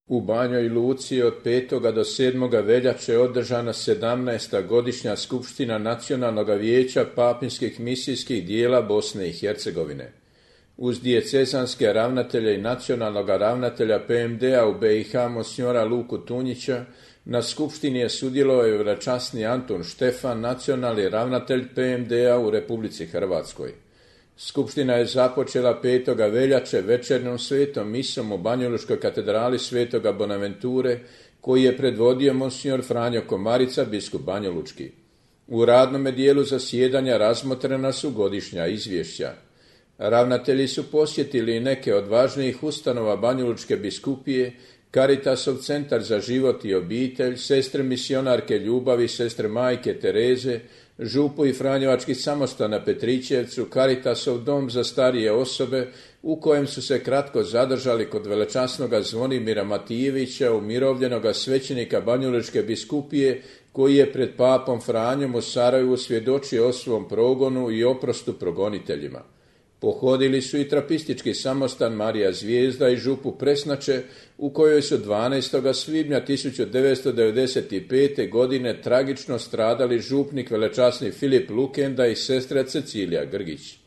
U Banjoj Luci od 5. do 7. veljače održana 17. godišnja skupština Nacionalnog vijeća papinskih misijskih dijela Bosne i Hercegovine. Uz dijecezanske ravnatelje i nacionalnog ravnatelja PMD-a u BiH monsignora Luku Tunjića, na skupštini je sudjelovao i veličasni Antun Štefan, nacionalni ravnatelj PMD-a u Republici Hrvatskoj. Skupština je započela 5. veljače večernjom svetom misom u Banjalučkoj katedrali Svetoga Bonaventure, koji je predvodio monsignor Franjo Komarica, biskup banjalučki. U radnome dijelu zasjedanja razmotrena su godišnja izvješća. Ravnatelji su posjetili neke od važnijih ustanova Banjalučke biskupije, Caritasov centar za život i obitelj, sestre misionarke ljubavi, sestre majke Tereze, župu i Franjevački samostan na Petrićevcu, Caritasov dom za starije osobe, u kojem su se kratko zadržali kod velečasnoga Zvonimira Matijevića, umirovljenoga svećenika Banjalučke biskupije, koji je pred papom Franjom u Sarajevu svjedočio o svom progonu i oprostu progoniteljima. Pohodili su i trapistički samostan Marija Zvijezda i župu Presnače, u kojoj su 12. svibnja 1995. godine tragično stradali župnik velečasni Filip Lukenda i sestra Cecilija Grgić.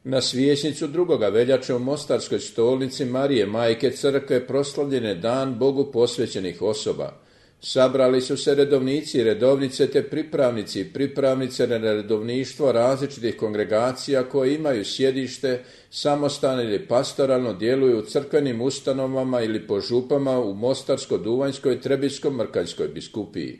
Na Svijesnicu 2. veljače u Mostarskoj stolnici Marije Majke Crkve proslavljen je dan Bogu posvećenih osoba. Sabrali su se redovnici i redovnice te pripravnici i pripravnice na redovništvo različitih kongregacija koje imaju sjedište, samostan ili pastoralno djeluju u crkvenim ustanovama ili po župama u Mostarsko-Duvanjskoj i Trebinsko-Mrkanjskoj biskupiji.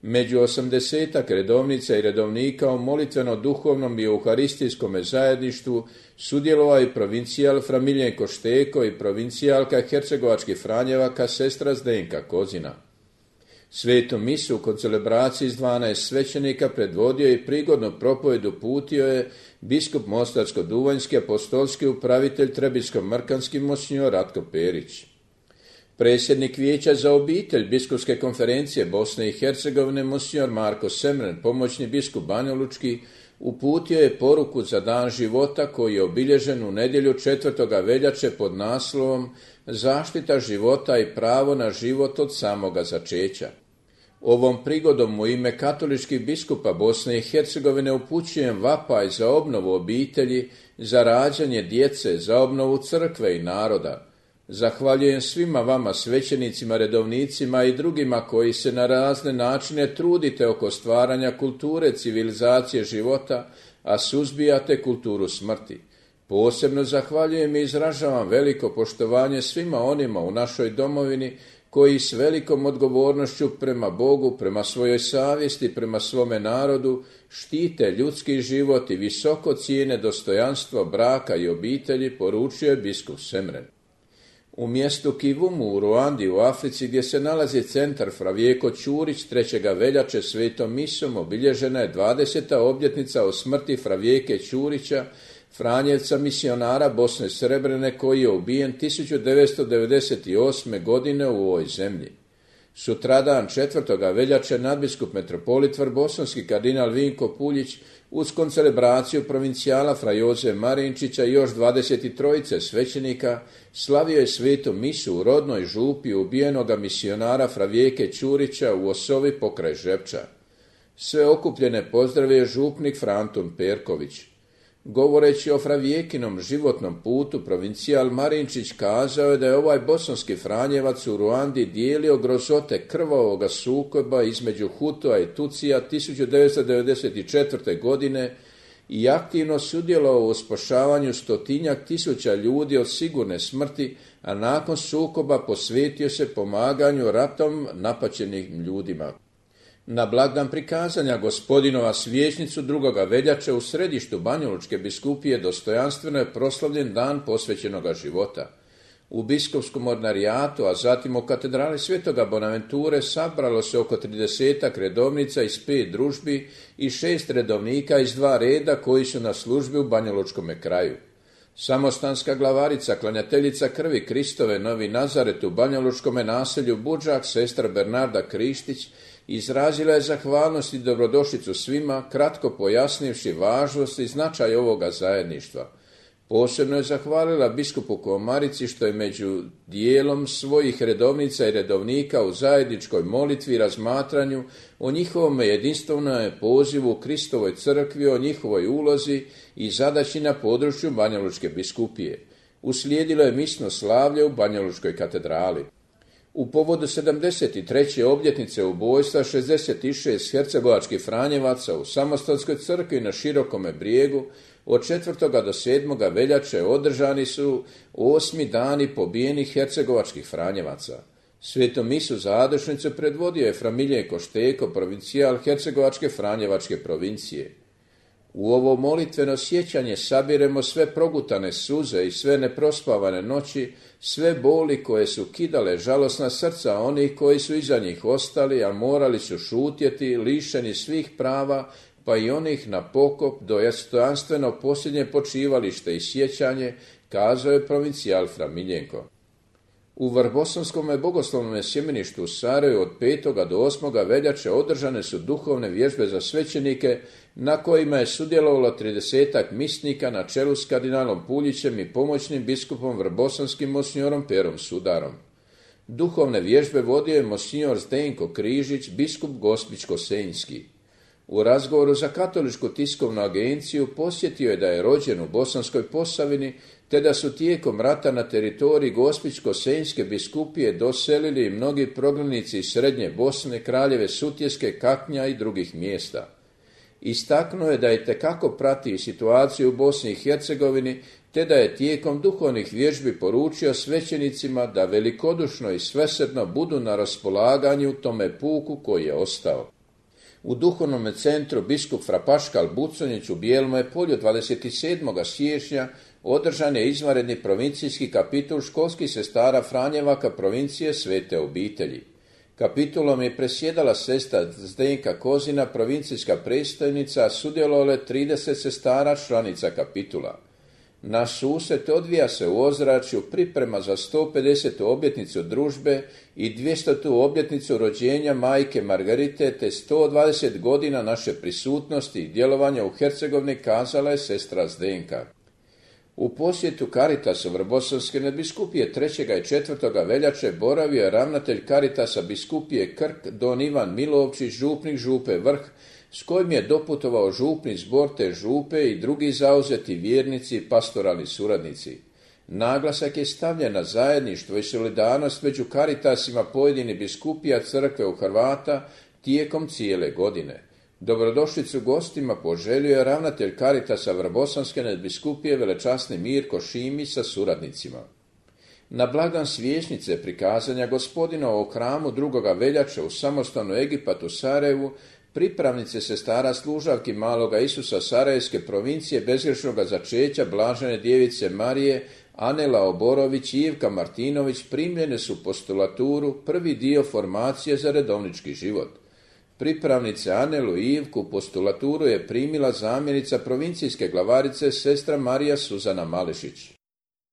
Među 80 redovnica i redovnika u molitveno-duhovnom i euharistijskom zajedništvu sudjelovao i provincijal Fra Miljenko Šteko i provincijalka Hercegovačkih Franjevaka sestra Zdenka Kozina. Svetu misu u koncelebraciji s 12 svećenika predvodio i prigodnu propovjed uputio je biskup Mostarsko-Duvanjski apostolski upravitelj Trebinsko-Mrkanski monsignor Ratko Perić. Predsjednik Vijeća za obitelj Biskupske konferencije Bosne i Hercegovine monsignor Marko Semren, pomoćni biskup banjalučki, uputio je poruku za dan života koji je obilježen u nedjelju 4. veljače pod naslovom Zaštita života i pravo na život od samoga začeća. Ovom prigodom u ime katoličkih biskupa Bosne i Hercegovine upućujem vapaj za obnovu obitelji, za rađanje djece, za obnovu crkve i naroda. Zahvaljujem svima vama svećenicima, redovnicima i drugima koji se na razne načine trudite oko stvaranja kulture civilizacije života, a suzbijate kulturu smrti. Posebno zahvaljujem i izražavam veliko poštovanje svima onima u našoj domovini koji s velikom odgovornošću prema Bogu, prema svojoj savjesti, prema svome narodu štite ljudski život i visoko cijene dostojanstvo braka i obitelji, poručio je biskup Semren. U mjestu Kivumu u Ruandi u Africi, gdje se nalazi centar Fra Vjeko Ćurić, 3. veljače svetom misom obilježena je 20. obljetnica o smrti Fra Vjeke Ćurića, Franjevca misionara Bosne Srebrene, koji je ubijen 1998. godine u ovoj zemlji. Sutradan 4. veljače nadbiskup metropolit vrbosanski kardinal Vinko Puljić uz koncelebraciju provincijala Fra Joze Marinčića i još 23 svećenika slavio je svetu misu u rodnoj župi ubijenoga misionara Fra Vjeke Ćurića u Osovi pokraj Žepča. Sve okupljene pozdravio župnik Fra Antun Perković. Govoreći o Fra Vjekinom životnom putu, provincijal Marinčić kazao je da je ovaj bosanski Franjevac u Ruandi dijelio grozote krvavoga sukoba između Hutua i Tucija 1994. godine i aktivno sudjelovao u spašavanju 100-tisuća ljudi od sigurne smrti, a nakon sukoba posvetio se pomaganju ratom napaćenim ljudima. Na blagdan prikazanja Gospodinova Svijesnicu 2. veljače u središtu Banjalučke biskupije dostojanstveno je proslavljen dan posvećenoga života. U biskupskom ordinarijatu, a zatim u katedrali Svetoga Bonaventure sabralo se oko 30 redovnica iz 5 družbi i 6 redovnika iz 2 reda koji su na službi u Banjalučkome kraju. Samostanska glavarica, klanjateljica krvi Kristove Novi Nazaret u banjalučkome naselju Budžak, sestra Bernarda Krištić, izrazila je zahvalnost i dobrodošlicu svima, kratko pojasnivši važnost i značaj ovoga zajedništva. Posebno je zahvalila biskupu Komarici što je među dijelom svojih redovnica i redovnika u zajedničkoj molitvi i razmatranju o njihovom jedinstvenom pozivu u Kristovoj crkvi, o njihovoj ulozi i zadaći na području Banjalučke biskupije. Uslijedilo je misno slavlje u Banjalučkoj katedrali. U povodu 73. obljetnice ubojstva 66 hercegovačkih franjevaca u Samostanskoj crkvi na Širokome brijegu od 4. do 7. veljače održani su 8. dani pobijenih hercegovačkih franjevaca. Svetu misu završnicu predvodio je fra Miljenko Šteko, provincijal hercegovačke franjevačke provincije. U ovo molitveno sjećanje sabiremo sve progutane suze i sve neprospavane noći, sve boli koje su kidale žalosna srca onih koji su iza njih ostali, a morali su šutjeti, lišeni svih prava, pa i onih na pokop, dostojanstveno posljednje počivalište i sjećanje, kazao je provincijal fra Miljenko. U Vrbosanskome bogoslovnom sjemeništu u Sarajevu od 5. do 8. veljače održane su duhovne vježbe za svećenike na kojima je sudjelovalo 30-ak misnika na čelu s kardinalom Puljićem i pomoćnim biskupom vrbosanskim monsinjorom Perom Sudarom. Duhovne vježbe vodio je monsinjor Zdenko Križić, biskup Gospić-Kosenjski. U razgovoru za Katoličku tiskovnu agenciju posjetio je da je rođen u Bosanskoj Posavini, te da su tijekom rata na teritoriji Gospić-Kosenjske biskupije doselili mnogi prognanici iz Srednje Bosne, Kraljeve Sutjeske, Kaknja i drugih mjesta. Istaknuo je da itekako prati situaciju u Bosni i Hercegovini, te da je tijekom duhovnih vježbi poručio svećenicima da velikodušno i svesrdno budu na raspolaganju tome puku koji je ostao. U duhovnom centru biskup fra Paškal Buconić u Bijelome polju 27. siječnja održan je izvanredni provincijski kapitul školskih sestara Franjevaka provincije Svete obitelji. Kapitulom je presjedala sestra Zdenka Kozina, provincijska predstojnica, a sudjelovale 30 sestara članica kapitula. Naš susret odvija se u ozračju priprema za 150. obljetnicu družbe i 200. obljetnicu rođenja majke Margarite, te 120 godina naše prisutnosti i djelovanja u Hercegovini, kazala je sestra Zdenka. U posjetu Caritasa Vrbosanske nadbiskupije 3. i 4. veljače boravio je ravnatelj Caritasa biskupije Krk don Ivan Milovčić, župnik župe Vrh, s kojim je doputovao župni zbor te župe i drugi zauzeti vjernici i pastoralni suradnici. Naglasak je stavljen na zajedništvo i solidarnost među Caritasima pojedinih biskupija crkve u Hrvata tijekom cijele godine. Dobrodošlicu gostima poželio je ravnatelj Caritasa Vrbosanske nadbiskupije velečasni Mirko Šimić sa suradnicima. Na blagdan Svječnice prikazanja Gospodinovog hramu 2. veljače u samostanu Egipat u Sarajevu pripravnice sestara služavki Maloga Isusa Sarajevske provincije bezgrešnoga začeća Blažene djevice Marije, Anela Oborović i Ivka Martinović primljene su postulaturu, prvi dio formacije za redovnički život. Pripravnice Anelu i Ivku postulaturu je primila zamjenica provincijske glavarice sestra Marija Suzana Malešić.